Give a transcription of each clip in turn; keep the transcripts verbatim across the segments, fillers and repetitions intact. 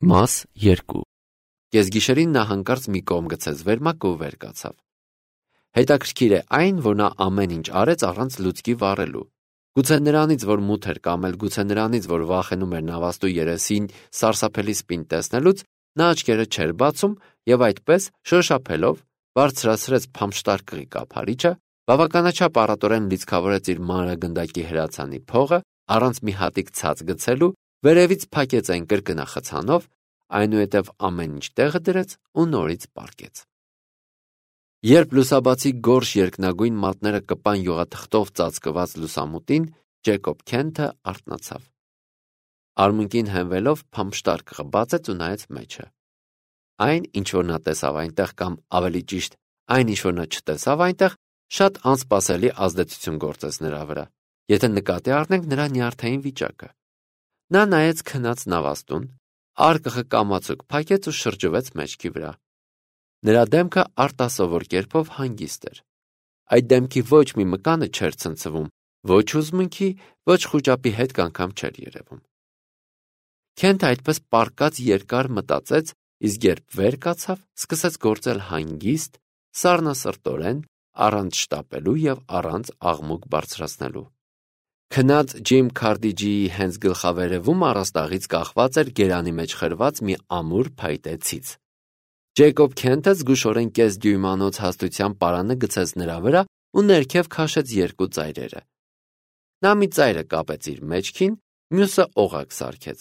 Մաս երկու Կեսգիշերին նա հանկարծ մի կողմ գցեց վերմակը ու վեր կացավ։ Հետաքրքիր է այն, որ նա ամեն ինչ արեց առանց լուցկի վառելու։ Գուցե նրանից, որ մութ էր կամ էլ գուցե նրանից, որ վախենում էր նավաստու երեսին սարսափելի սպին տեսնելուց, նա աչքերը չէր բացում եւ այդպես շոշափելով բարձրացրեց փամշտարկղի կափարիչը, բավականաչափ առատորեն լիցքավորեց իր մանրագնդակի հրացանի փողը, առանց մի հատիկ ցած գցելու, վերևից փակեց այն կրկնախցանով, այնուհետև ամեն ինչ տեղը դրեց ու նորից պառկեց։ Երբ լուսաբացի գորշ երկնագույն մատները կպան յուղաթղթով ծածկված լուսամուտին, Ջեյկոբ Քենթը արթնացավ։ Արմունկին հենվելով փամշտարկղը բացեց ու նայեց մեջը։ Այն, ինչ որ նա տեսավ այնտեղ, կամ ավելի ճիշտ, այն, ինչ որ նա չտեսավ այնտեղ, շատ անսպասելի ազդեցություն գործեց նրա վրա, եթե նկատի առնենք նրա նյարդային վիճակը։ Նա նայեց քնած նավաստուն, արկղը կամացուկ փակեց ու շրջվեց մեջքի վրա։ Նրա դեմքը արտասովոր կերպով հանգիստ էր։ Այդ դեմքի ոչ մի մկանը չէր ցնցվում, ոչ հուզմունքի, ոչ խուճապի հետք անգամ չէր երևում։ Քենթը այդպես պառկած երկար մտածեց, իսկ երբ վեր կացավ, սկսեց գործել հանգիստ, սառնասրտորեն, առանց շտապելու եւ առանց աղմուկ բարձրացնելու։ Քնած Ջիմ Քարդիջիի հենց գլխավերևում առաստաղից կախված էր գերանի մեջ խրված մի ամուր փայտե ցից։ Ջեյկոբ Քենթը զգուշորեն կես դյույմանոց հաստության պարանը գցեց նրա վրա ու ներքև քաշեց երկու ծայրերը։ Նա մի ծայրը կապեց իր մեջքին, մյուսը օղակ սարքեց։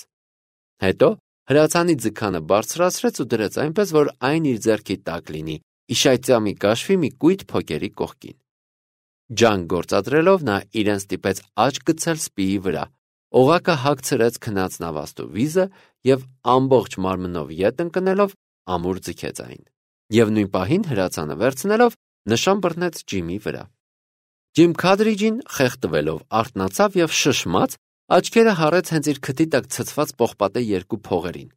Հետո հրացանի ձգանը բարձրացրեց ու դրեց այնպես, որ այն իր ձեռքի տակ լինի, իշայծյամի կաշվի մի կույտ փոկերի կողքին։ Ջանք գործադրելով նա իրեն ստիպեց աչք գցել սպիի վրա, օղակը հագցրեց քնած նավաստու վիզը եւ ամբողջ մարմնով ետ ընկնելով ամուր ձգեց այն։ Եվ նույն պահին հրացանը վերցնելով նշան բռնեց Ջիմի վրա։ Ջիմ Քարդիջին խեղդվելով արթնացավ եւ շշմած աչքերը հառեց հենց իր քթի տակ ցցված պողպատե երկու փողերին։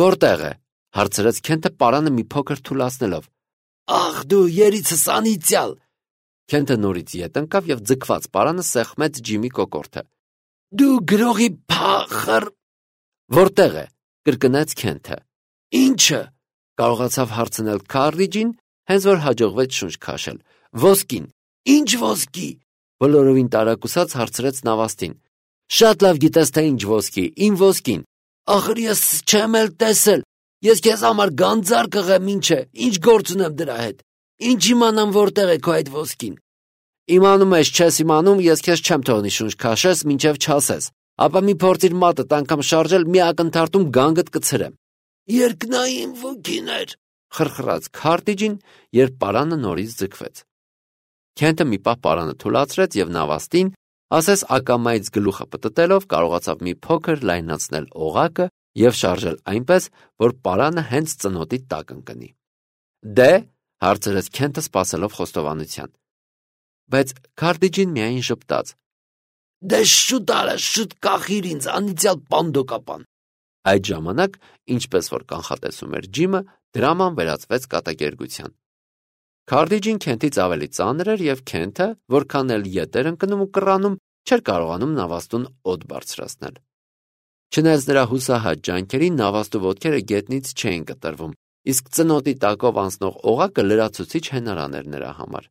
Որտեղ է, հարցրեց Քենթը պարանը մի փոքր թուլացնելով։ Ախ դու երիցս անիծյալ։ Քենթը նորից ետ ընկավ եւ ձգված պարանը սեղմեց Ջիմի կոկորդը։ Դու գրողի փախր։ Որտեղ է, կրկնեց Քենթը։ Ինչը, կարողացավ հարցնել Քարդիջին, հենց որ հաջողվեց շունչ քաշել։ Ոսկին։ Ինչ ոսկի։ Բոլորովին տարակուսած հարցրեց նավաստին։ Շատ լավ գիտես թե ինչ ոսկի, իմ ոսկին։ Ախր ես չեմ էլ տեսել։ Ես քեզ համար գանձար կղեմ, ինչ է, ինչ գործ ունեմ դրա հետ։ Ինչ իմանամ որտեղ է քո այդ ոսկին։ Իմանում ես, չես իմանում, ես քեզ չեմ թողնի շունչ քաշես, մինչև չասես։ Ապա մի փորձիր մատդ անգամ շարժել, մի ակնթարթում գանգդ կցրեմ։ Երկնային ոգիներ, խրխրաց Քարդիջին, երբ պարանը նորից ձգվեց։ Քենթը մի պահ պարանը թուլացրեց եւ նավաստին, ասես ակամայից գլուխը պտտելով, կարողացավ մի փոքր լայնացնել օղակը եւ շարժել այնպես, որ պարանը հենց ծնոտի տակ ընկնի։ Դե, հարցրեց Քենթը սպասելով խոստովանության։ Բայց Քարդիջին միայն շփտաց. Դե շուտ արա, շուտ կախիր ինձ, անիծյալ պանդոկապան։ Այդ ժամանակ, ինչպես որ կանխատեսում էր Ջիմը, դրաման վերածվեց կատակերգության։ Քարդիջին Քենթից ավելի ծանր էր եւ Քենթը, որքան էլ ետ էր ընկնում ու կռանում, չէր կարողանում նավաստուն օդ բարձրացնել։ Չնայած նրա հուսահատ ջանքերին նավաստու ոտքերը գետնից չէին կտրվում, իսկ ծնոտի տակով անցնող օղակը լրացուցիչ հենարան էր նրա համար։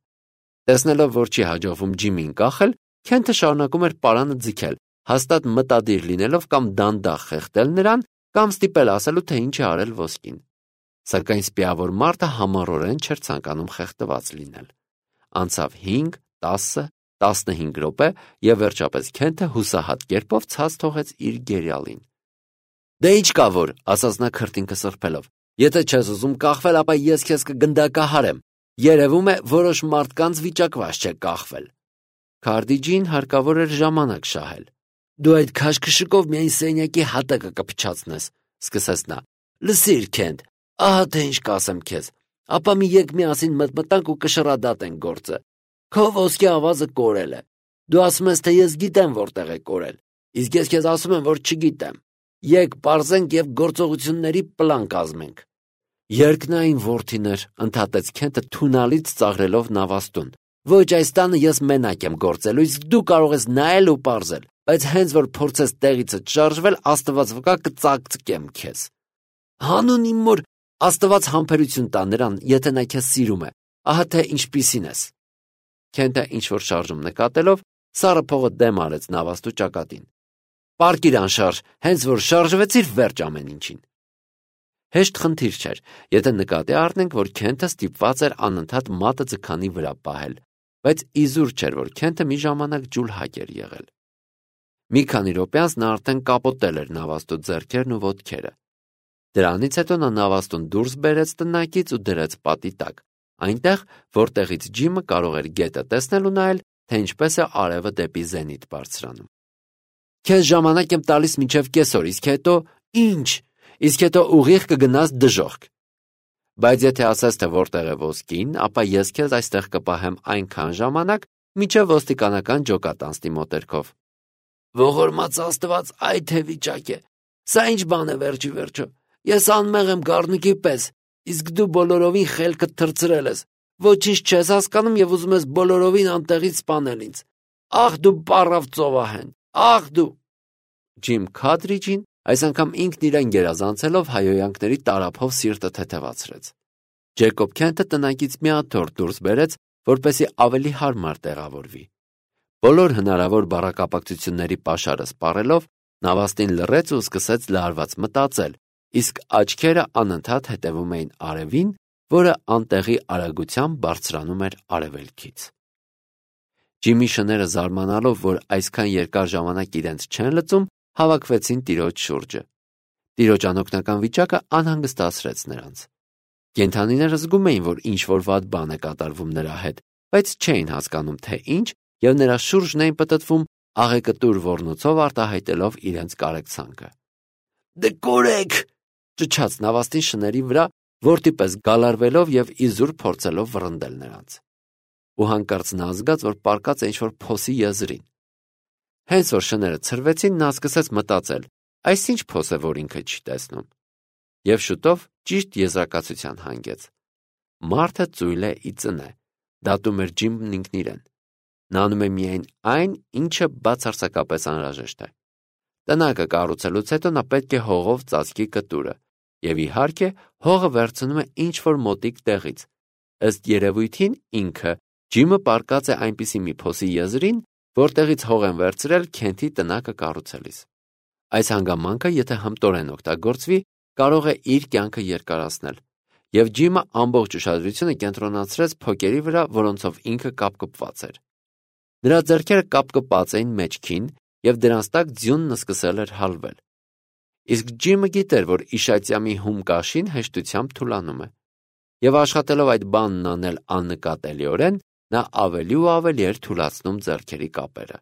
Տեսնելով, որ չի հաջողվում Ջիմին կախել, Քենթը շարունակում էր պարանը ձգել, հաստատ մտադիր լինելով կամ դանդաղ խեղդել նրան, կամ ստիպել ասելու, թե ինչ է արել ոսկին։ Սակայն սպիավոր մարդը համառորեն չէր ցանկանում խեղդված լինել։ Անցավ հինգ, տասը, տասնհինգ րոպե եւ վերջապես Քենթը հուսահատ կերպով ցած թողեց իր գերիալին։ Դե ինչ կա որ, ասաց նա քրտինքը սրբելով։ Եթե չես ուզում կախվել, ապա ես քեզ կգնդակահարեմ։ Երևում է, որոշ մարդկանց վիճակված չէ կախվել։ Քարդիջին հարկավոր էր ժամանակ շահել։ Դու այդ քաշքշուկով միայն սենյակի հատակը կփչացնես, սկսեց նա։ Լսիր, Քենթ, ահա թե ինչ կասեմ քեզ։ Ապա մի եկ միասին մտմտանք ու կշռադատենք գործը։ Քո ոսկի ավազը կորել է։ Դու ասում ես, թե ես գիտեմ որտեղ է կորել, իսկ ես քեզ ասում եմ, որ չգիտեմ։ Եկ պարզենք եւ գործողությունների պլան կազմենք։ Երկնային որդիներ, ընդհատեց Քենթը թունալից ծաղրելով նավաստուն։ Ոչ, այս տանը ես մենակ եմ գործելու, իսկ դու կարող ես նայել ու պարզել, բայց հենց որ փորձես տեղիցդ շարժվել, Աստված վկա կծակծկեմ քեզ։ Հանուն իմ մոր, Աստված համբերություն տա նրան, եթե նա քեզ սիրում է, ահա թե ինչպիսին ես։ Քենթը ինչ-որ շարժում նկատելով, սառը փողը դեմ արեց նավաստու ճակատին։ Պարկիր անշարժ, հենց որ շարժվեցիր, վերջ ամեն ինչին։ Հեշտ խնդիր չէր, եթե նկատի առնենք, որ Քենթը ստիպված էր անընդհատ մատը ձգանի վրա պահել, բայց իզուր չէր, որ Քենթը մի ժամանակ ջուլհակ էր եղել։ Մի քանի րոպե անց նա արդեն կապոտել էր նավաստու ձեռքերն ու ոտքերը։ Դրանից հետո նա նավաստուն դուրս բերեց տնակից ու դրեց պատի տակ, այնտեղ, որտեղից Ջիմը կարող էր գետը տեսնել ու նայել, թե ինչպես է արևը դեպի զենիթ բարձրանում։ Քեզ ժամանակ եմ տալիս մինչև կեսօր, իսկ հետո ինչ, իսկ հետո ուղիղ կգնաս դժոխք։ Բայց եթե ասես, թե որտեղ է ոսկին, ապա ես քեզ այստեղ կպահեմ այնքան ժամանակ, մինչև ոստիկանական ջոկատ անցնի մոտերքով։ Ողորմած Աստված, այ թե վիճակ է։ Սա ինչ բան է վերջի վերջո։ Ես անմեղ եմ գառնիկի պես, իսկ դու բոլորովին խելքդ թռցրել ես։ Ոչինչ չես հասկանում եւ ուզում ես բոլորովին անտեղից սպանել ինձ։ Ախ դու պառավ ծովահեն, ախ դու։ Ջիմ Քադրիջին այս անգամ ինքն իրեն գերազանցելով հայոյանքների տարափով սիրտը թեթևացրեց։ Ջեյկոբ Քենթը տնակից մի աթոռ դուրս բերեց, որպեսզի ավելի հարմար տեղավորվի։ Բոլոր հնարավոր բառակապակցությունների պաշարը սպառելով, նավաստին լռեց ու սկսեց լարված մտածել, իսկ աչքերը անընդհատ հետևում էին արևին, որը անտեղի արագությամբ բարձրանում էր արևելքից։ Ջիմի շները զարմանալով, որ այսքան երկար ժամանակ իրենց չեն լծում, հավաքվեցին տիրոջ շուրջը։ Տիրոջ անօգնական վիճակը անհանգստացրեց նրանց։ Կենդանիները զգում էին, որ ինչ-որ վատ բան է կատարվում նրա հետ, բայց չէին հասկանում, թե ինչ, եւ նրա շուրջն էին պտտվում աղեկտուր ոռնոցով արտահայտելով իրենց կարեկցանքը։ Դե կորեք, ճչաց նավաստի շների վրա, որդի պես գալարվելով եւ իզուր փորձելով վռնդել նրանց։ Ու հանկարծ նա զգաց, որ պարկած է ինչ-որ փոսի եզրին։ Հենց որ շները ցրվեցին, նա սկսեց մտածել, այս ինչ փոս է, որ ինքը չի տեսնում։ Եվ շուտով ճիշտ եզրակացության հանգեց։ Մարդը ծույլ է ի ծնե, դատում էր Ջիմն ինքն իրեն։ Նա անում է միայն այն, ինչը բացարձակապես անհրաժեշտ է։ Տնակը կառուցելուց հետո նա պետք է հողով ծածկի կտուրը, եւ իհարկե հողը վերցնում է ինչ-որ մոտիկ տեղից։ Ըստ երևույթին ինքը Ջիմը պարկած է այնպիսի մի փոսի եզրին, որտեղից հող են վերցրել Քենթի տնակը կառուցելիս։ Այս հանգամանքը, եթե հմտորեն օգտագործվի, կարող է իր կյանքը երկարացնել, եւ Ջիմը ամբողջ ուշադրությունը կենտրոնացրեց փոկերի վրա, որոնցով ինքը կապկպված էր։ Նրա ձեռքերը կապկպած էին մեջքին, եւ դրանց տակ ձյունն սկսել էր հալվել։ Իսկ Ջիմը գիտեր, որ իշայծյամի հում կաշին հեշտությամբ թուլանում է, եւ աշխատելով այդ բանն անել աննկատելիորեն, նա ավելի ու ավելի էր թուլացնում ձեռքերի կապերը։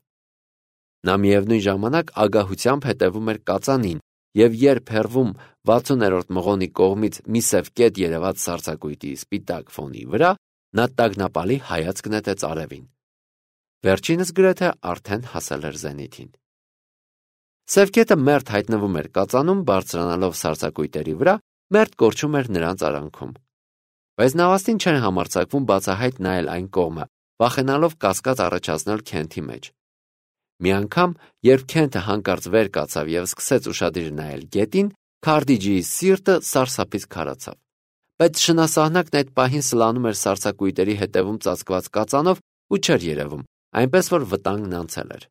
Նա միևնույն ժամանակ ագահությամբ հետևում էր կածանին, եւ երբ հեռվում վաթսուներորդ մղոնի կողմից մի սև կետ երևաց սառցակույտի սպիտակ ֆոնի վրա, նա տագնապալի հայացք նետեց արևին։ Վերջինս գրեթե արդեն հասել էր զենիթին։ Սև կետը մերթ հայտնվում էր կածանում, բարձրանալով սառցակույտերի վրա, մերթ կորչում էր նրանց արանքում։ Բայց նավաստին չեն համարձակվում բացահայտ նայել այն կողմը, վախենալով կասկած առաջացնել Քենթի մեջ։ Մի անգամ, երբ Քենթը հանկարծ վեր կացավ եւ սկսեց ուշադիր նայել գետին, Քարդիջիի սիրտը սարսափից քարացավ։ Բայց շնասահնակն այդ պահին սլանում էր սառցակույտերի հետևում ծածկված կածանով ու չէր երևում, այնպես որ վտանգն անցել էր։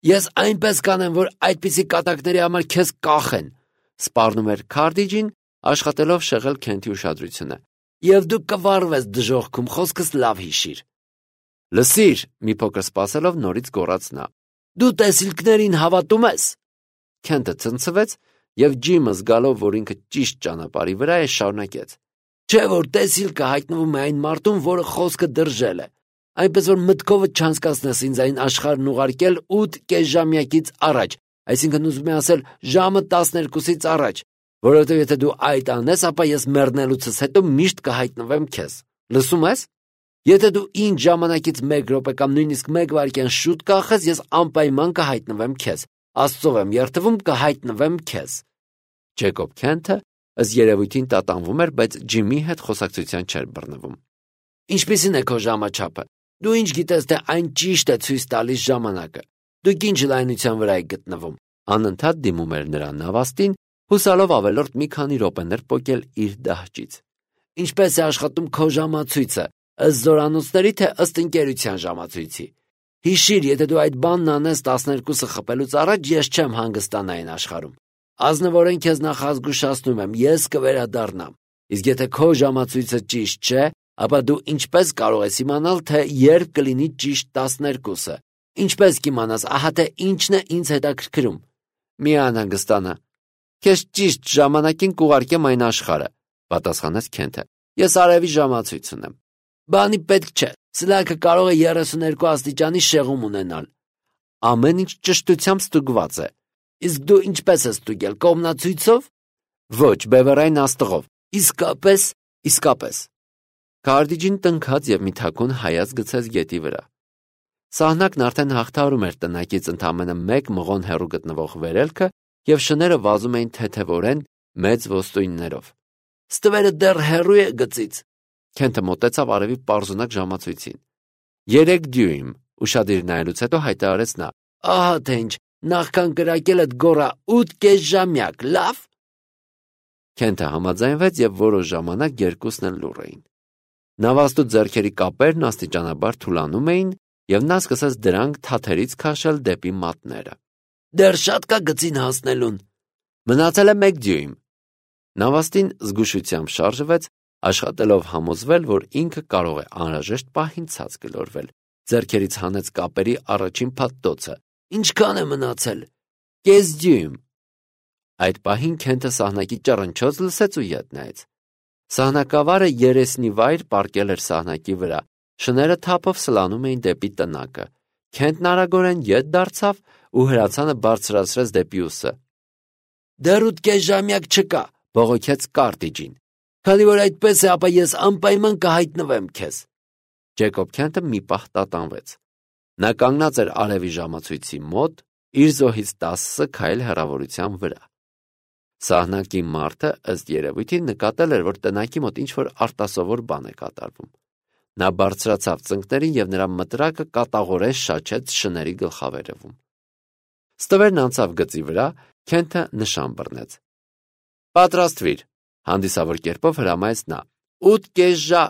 Ես այնպես կանեմ, որ այդպիսի կատակների համար քեզ կախեն, սպառնում էր Քարդիջին, աշխատելով շեղել Քենթի ուշադրությունը։ Եվ դու կվառվես դժոխքում, խոսքս լավ հիշիր։ Լսիր, մի փոքր սպասելով նորից գոռաց նա։ Դու տեսիլքներին հավատում ես։ Քենթը ցնցվեց եւ Ջիմը զգալով, որ ինքը ճիշտ ճանապարհի վրա է, շարունակեց. Չէ՞ որ տեսիլքը հայտնվում է այն մարդուն, որը խոսքը դրժել է։ Այնպես որ մտքովդ չանցկացնես ինձ այն աշխարհն ուղարկել ութ կեսժամյակից առաջ, այսինքն ուզում եմ ասել ժամը տասներկուսից առաջ, որովհետև եթե դու այդ անես, ապա ես մեռնելուցս հետո միշտ կհայտնվեմ քեզ։ Լսում ես։ Եթե դու ինձ ժամանակից մեկ րոպե կամ նույնիսկ մեկ վայրկյան շուտ կախես, ես անպայման կհայտնվեմ քեզ։ Աստծով եմ երդվում, կհայտնվեմ քեզ։ Ջեյկոբ Քենթը ըստ երևույթին տատանվում էր, բայց Ջիմի հետ խոսակցության չէր բռնվում։ Ինչպիսին է քո ժամաչափը։ Դու ինչ գիտես, թե այն ճիշտ է ցույց տալիս ժամանակը։ Դուք ինչ լայնության վրա եք գտնվում։ Անընդհատ դիմում էր նրան նավաստին, հուսալով ավելորդ մի քանի րոպեներ պոկել իր դահճից։ Ինչպես է աշխատում քո ժամացույցը, ըստ զորանոցների, թե ըստ ընկերության ժամացույցի։ Հիշիր, եթե դու այդ բանն անես տասներկուսը խփելուց առաջ, ես չեմ հանգստանա այն աշխարհում։ Ազնվորեն քեզ նախազգուշացնում եմ, ես կվերադառնամ։ Իսկ եթե քո ժամացույցը ճիշտ չէ, ապա դու ինչպես կարող ես իմանալ, թե երբ կլինի ճիշտ տասներկուսը։ Ինչպես կիմանաս, ահա թե ինչն է ինձ հետաքրքրում։ Մի անհանգստանա։ Քեզ ճիշտ ժամանակին կուղարկեմ այն աշխարհը, պատասխանեց Քենթը։ Ես արևի ժամացույց ունեմ։ Բանի պետք չէ։ Սլաքը կարող է երեսուներկու աստիճանի շեղում ունենալ։ Ամեն ինչ ճշտությամբ ստուգված է։ Իսկ դու ինչպես ես ստուգել, կողմնացույցով։ Ոչ, բևեռային աստղով։ Իսկապես, իսկապես։ Քարտիջին տնքաց եւ մի թաքուն հայաց գցեց գետի վրա։ Սահնակն արդեն հաղթահարում էր տնակից ընդամենը մեկ մղոն հեռու գտնվող վերելքը եւ շները վազում էին թեթեվորեն մեծ ոսტույններով։ Ստվերը դեռ հեռու է գծից։ Քենթը մոտեցավ արևի պարզունակ ժամացույցին։ Երեք դյույմ, ուշադիր նայելուց հետո հայտարարեց նա։ Ահա թե ինչ, նախքան կրակելդ գոռա ութ կես ժամյակ, լավ։ Քենթը համաձայնվեց եւ որոշ ժամանակ երկուսն էլ լուռ էին։ Նավաստու ձեռքերի կապերն աստիճանաբար թուլանում էին, եւ նա սկսեց դրանք թաթերից քաշել դեպի մատները։ Դեռ շատ կա գծին հասնելուն։ Մնացել է մեկ դյույմ։ Նավաստին զգուշությամբ շարժվեց, աշխատելով համոզվել, որ ինքը կարող է անհրաժեշտ պահին ցած գլորվել։ Ձեռքերից հանեց կապերի առաջին փաթթոցը։ Ինչքան է մնացել։ Կես դյույմ։ Այդ պահին Քենթը սահնակի ճռնչոց լսեց ու ետ նայեց։ Սահնակավարը երեսնի վայր պառկել էր սահնակի վրա։ Շները թափով սլանում էին դեպի տնակը։ Քենթն արագորեն ետ դարձավ ու հրացանը բարձրացրեց դեպի ուսը։ Դեռ ութ կես ժամյակ չկա, բողոքեց Քարտիջին։ Քանի որ այդպես է, ապա ես անպայման կհայտնվեմ քեզ։ Ջեյկոբ Քենթը մի պահ տատանվեց։ Նա կանգնած էր արևի ժամացույցի մոտ, իր զոհից տասը քայլ հեռավորության վրա։ Սահնակի մարդը ըստ երևույթին նկատել էր, որ տնակի մոտ ինչ-որ արտասովոր բան է կատարվում։ Նա բարձրացավ ծնկներին եւ նրա մտրակը կատաղորեն շաչեց շների գլխավերևում։ Ստվերն անցավ գծի վրա, Քենթը նշան բռնեց։ Պատրաստվիր, հանդիսավոր կերպով հրամայեց նա։ ութ կես ժա։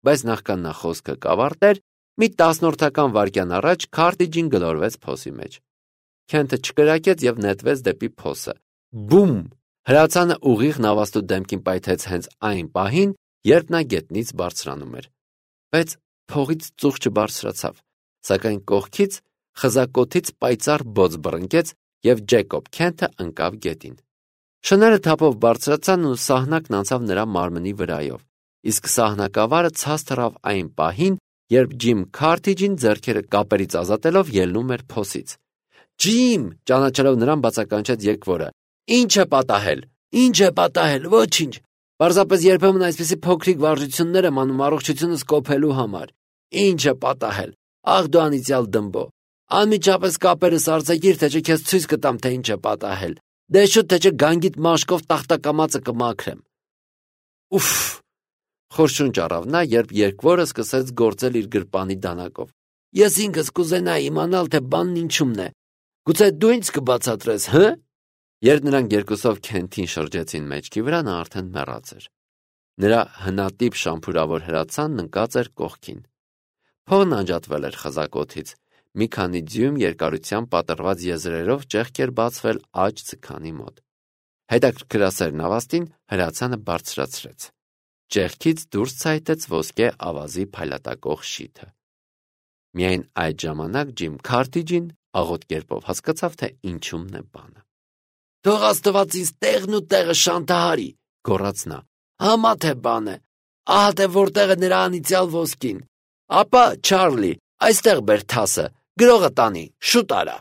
Բայց նախքան նա խոսքը կավարտեր, մի տասնորդական վայրկյան առաջ Քարտիջին գլորվեց փոսի մեջ։ Քենթը չկրակեց եւ նետվեց դեպի փոսը։ Բում! Հրացանը ուղիղ նավաստու դեմքին պայթեց հենց այն պահին, երբ նա գետնից բարձրանում էր։ Բայց փողից ծուխ չբարձրացավ, սակայն կողքից խզակոթից պայծառ բոց բռնկեց եւ Ջեյկոբ Քենթը ընկավ գետին։ Շները թափով բարձրացան ու սահնակն անցավ նրա մարմնի վրայով, իսկ սահնակավարը ցած թռավ այն պահին, երբ Ջիմ Քարտիջին ձեռքերը կապերից ազատելով ելնում էր փոսից։ Ջիմ, ճանաչելով նրան բացականչեց եկվորը։ Ինչ է պատահել։ Ինչ է պատահել, ոչինչ։ Պարզապես երբեմն այսպիսի փոքրիկ վարժություններ եմ անում առողջությունս կոփելու համար։ Ինչ է պատահել։ Ախ դու անիծյալ դմբո։ Անմիջապես կապերս արձակիր, թե չէ քեզ ցույց կտամ, թե ինչ է պատահել։ Դե շուտ թե չէ գանգիտ մաշկով տախտակամածը կմաքրեմ։ Ուֆ։ Խորշունչ առավ նա, երբ երկվորը սկսեց գործել իր գրպանի դանակով։ Ես ինքս կուզենայի իմանալ, թե բանն ինչումն է։ Գուցե դու ինձ կբացատրես, հը՞։ Երբ նրանք երկուսով Քենթին շրջեցին մեջքի վրա, նա արդեն մեռած էր։ Նրա հնատիպ շամփուրավոր հրացանն ընկած էր կողքին։ Փողն անջատվել էր խզակոթից։ Մի քանի ձյուն երկարությամբ պատռված եզրերով ճեղք էր բացվել աջ ձգանի մոտ։ Հետաքրքրասեր նավաստին հրացանը բարձրացրեց։ Ճեղքից դուրս ցայտեց ոսկե ավազի փայլատակող շիթը։ Միայն այդ ժամանակ Ջիմ Քարտիջին աղոտ կերպով հասկացավ, թե ինչումն է բանը։ Թող Աստված ինձ տեղն ու տեղը շանթահարի, գոռաց նա։ Համա թե բան է։ Ահա թե որտեղ է նրա անիծյալ ոսկին։ Ապա, Չարլի, այստեղ բեր թասը, գրողը տանի, շուտ արա։